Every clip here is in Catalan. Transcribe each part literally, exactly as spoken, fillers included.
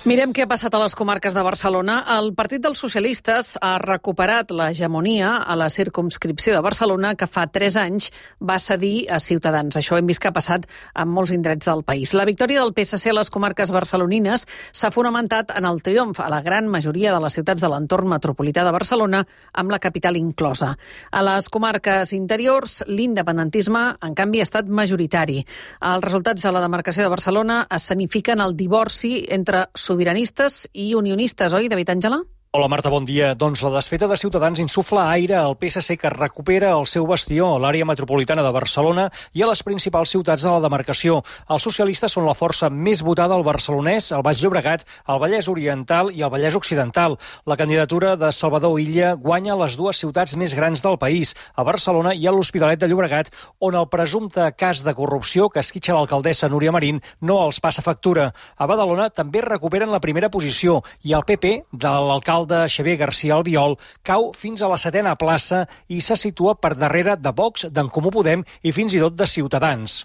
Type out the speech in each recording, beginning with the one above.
Mirem què ha passat a les comarques de Barcelona. El Partit dels Socialistes ha recuperat l'hegemonia a la circumscripció de Barcelona que fa tres anys va cedir a Ciutadans. Això hem vist que ha passat en molts indrets del país. La victòria del P S C a les comarques barcelonines s'ha fonamentat en el triomf a la gran majoria de les ciutats de l'entorn metropolità de Barcelona, amb la capital inclosa. A les comarques interiors, l'independentisme, en canvi, ha estat majoritari. Els resultats a la demarcació de Barcelona escenifiquen el divorci entre sobiranistes i unionistes, oi, David Àngela? Hola Marta, bon dia. Doncs la desfeta de Ciutadans insufla aire al P S C que recupera el seu bastió a l'àrea metropolitana de Barcelona i a les principals ciutats de la demarcació. Els socialistes són la força més votada al Barcelonès, al Baix Llobregat, al Vallès Oriental i al Vallès Occidental. La candidatura de Salvador Illa guanya les dues ciutats més grans del país, a Barcelona i a l'Hospitalet de Llobregat, on el presumpte cas de corrupció que esquitxa l'alcaldessa Núria Marín no els passa factura. A Badalona també recuperen la primera posició i el P P de l'alcalde de Xavier García Albiol cau fins a la setena plaça i se situa per darrere de Vox, d'en Comú Podem i fins i tot de Ciutadans.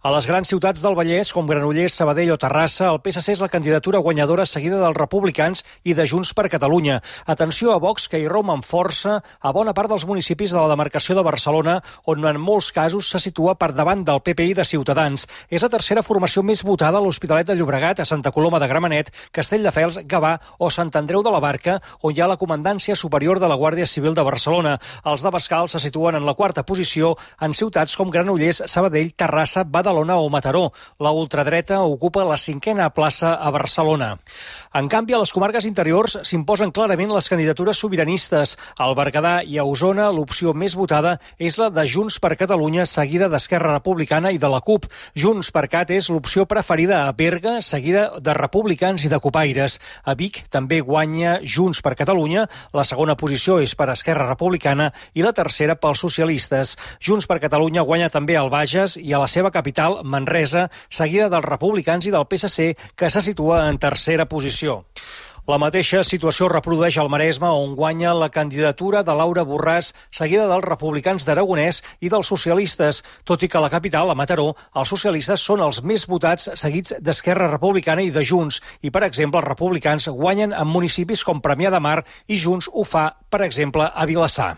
A les grans ciutats del Vallès, com Granollers, Sabadell o Terrassa, el P S C és la candidatura guanyadora seguida dels Republicans i de Junts per Catalunya. Atenció a Vox, que hi romp amb força a bona part dels municipis de la demarcació de Barcelona, on en molts casos se situa per davant del P P i de Ciutadans. És la tercera formació més votada a l'Hospitalet de Llobregat, a Santa Coloma de Gramenet, Castelldefels, Gavà o Sant Andreu de la Barca, on hi ha la Comandància Superior de la Guàrdia Civil de Barcelona. Els d'Abascal se situen en la quarta posició en ciutats com Granollers, Sabadell, Terrassa, Badalona o Mataró. La ultradreta ocupa la cinquena plaça a Barcelona. En canvi, a les comarques interiors s'imposen clarament les candidatures sobiranistes. Al Berguedà i a Osona, l'opció més votada és la de Junts per Catalunya, seguida d'Esquerra Republicana i de la CUP. Junts per Cat és l'opció preferida a Berga, seguida de Republicans i de Cupaires. A Vic també guanya Junts Junts per Catalunya, la segona posició és per Esquerra Republicana i la tercera pels socialistes. Junts per Catalunya guanya també al Bages i a la seva capital, Manresa, seguida dels Republicans i del P S C, que se situa en tercera posició. La mateixa situació reprodueix al Maresme, on guanya la candidatura de Laura Borràs, seguida dels Republicans d'Aragonès i dels socialistes, tot i que a la capital, a Mataró, els socialistes són els més votats, seguits d'Esquerra Republicana i de Junts, i, per exemple, els republicans guanyen en municipis com Premià de Mar i Junts ho fa, per exemple, a Vilassar.